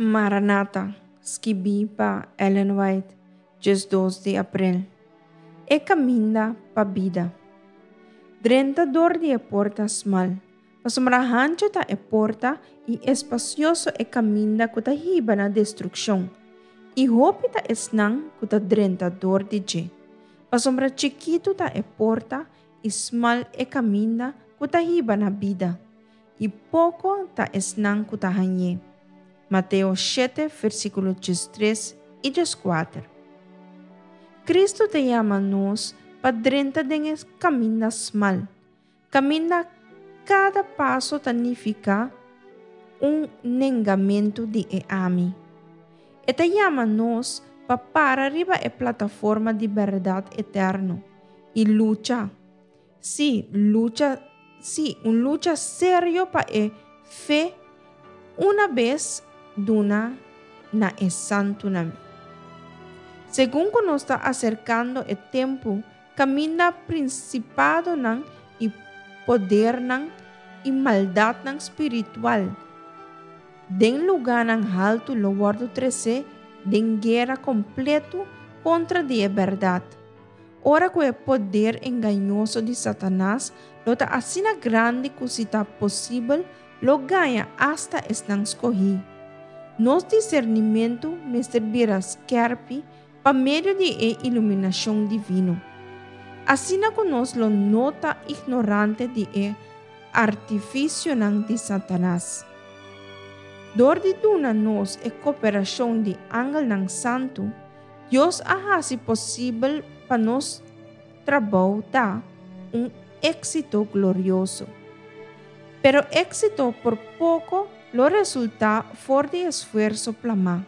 Maranata, skibí pa Ellen White, 12 di aprel. E kaminda pa bida. Drenta dor di e porta smal, pasobra hanchu ta e porta i espasioso e kaminda ku ta hiba na destrukshon, i hopi ta esnan ku ta drenta dor di dje. Pasobra chikitu ta e porta i smal e kaminda ku ta hiba na bida, i poko ta esnan ku ta hañ'é. Mateo 7, versíkulo 13 i 14. Kristu ta yama nos pa drenta den e kaminda smal, kaminda kada paso ta nifiká un nengamentu di e ami. E ta yama nos pa para riba e plataforma di bèrdat eterno i lucha, sí, lucha, sí, un lucha serio pa e fe una bes duna na e santunan. Segun ku nos ta aserkando e tempu kaminda prinsipadonan i podernan i maldatnan spiritual den lugánan haltu lo wòrdu tresé den guera kompletu kontra di e bèrdat, ora ku e poder engañoso di Satanas lo ta asina grandi ku si ta posibel lo gaña asta esnan skohí. Nos disernimentu mester bira skèrpi pa medio di e iluminashon divino. Asina ku nos lo no ta ignorante di e artifisionan di Satanas. Dor di duna nos e koperashon di angelnan santu, Dios a hasi posibel pa nos trabou ta un éksito glorioso. Pero éksito por poko lo resultá for di esfuerso plamá.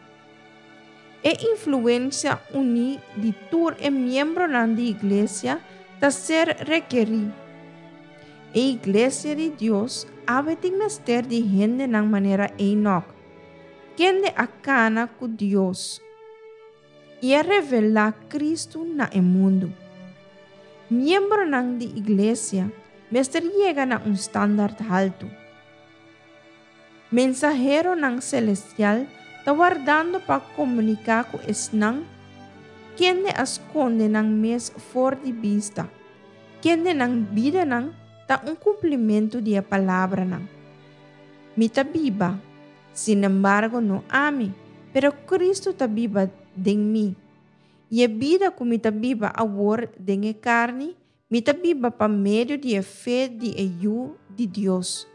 E influensia uní di tur e miembronan di Iglesia ta ser rekerí. E Iglesia di Dios awe tin mester di hendenan manera Enoch, kende a kana ku Dios i a revelá Kristu na e mundu. Miembronan di Iglesia mester yega na un standard haltu. Mensaheronan selestial ta wardando pa komuniká ku esnan kende a skonde nan mes for di bista, kende nan bidanan ta un kumplimentu di e palabranan, Mi ta biba, sinembargo no ami, pero Kristu ta biba den mi. I e bida ku mi ta biba awor den e karni, Mi ta biba pa medio di e fe di e Yu di Dios,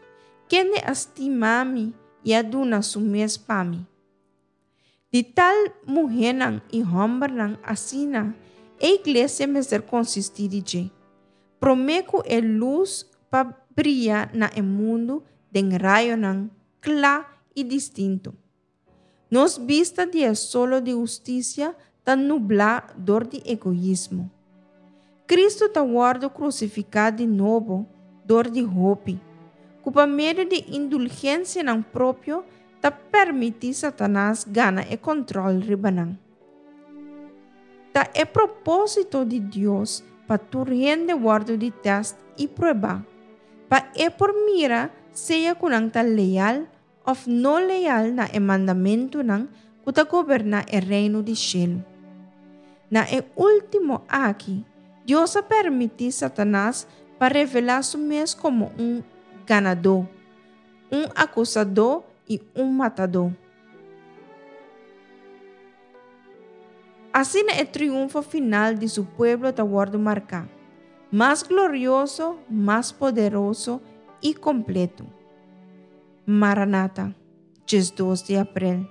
kende a stima mi i a duna su mes pa mi. Di tal muhénan i hòmbernan asina e iglesia mester konsistí di dje, promé ku e lus pa bria na e mundu den rayonan kla i distinto. Nos bista di e solo di hustisia ta nublá dor di egoismo. Kristu ta wòrdu krusifiká di nobo dor di hopi, ku pa medio di indulgensianan propio ta permití Satanas gana e kòntròl riba nan. Ta e propósito di Dios pa tur hende wòrdu di tèst i pruebá, pa e por mira sea ku nan ta leal òf no leal na e mandamentunan ku ta goberná e Reino di shelu. Na e último aki, Dios a permití Satanas pa revelá su mes komo un ganadó, un akusadó i un matadó. Asina e triunfo final di su pueblo ta wòrdu marká, mas glorioso, mas poderoso i kompletu. Maranata, 12 di aprel.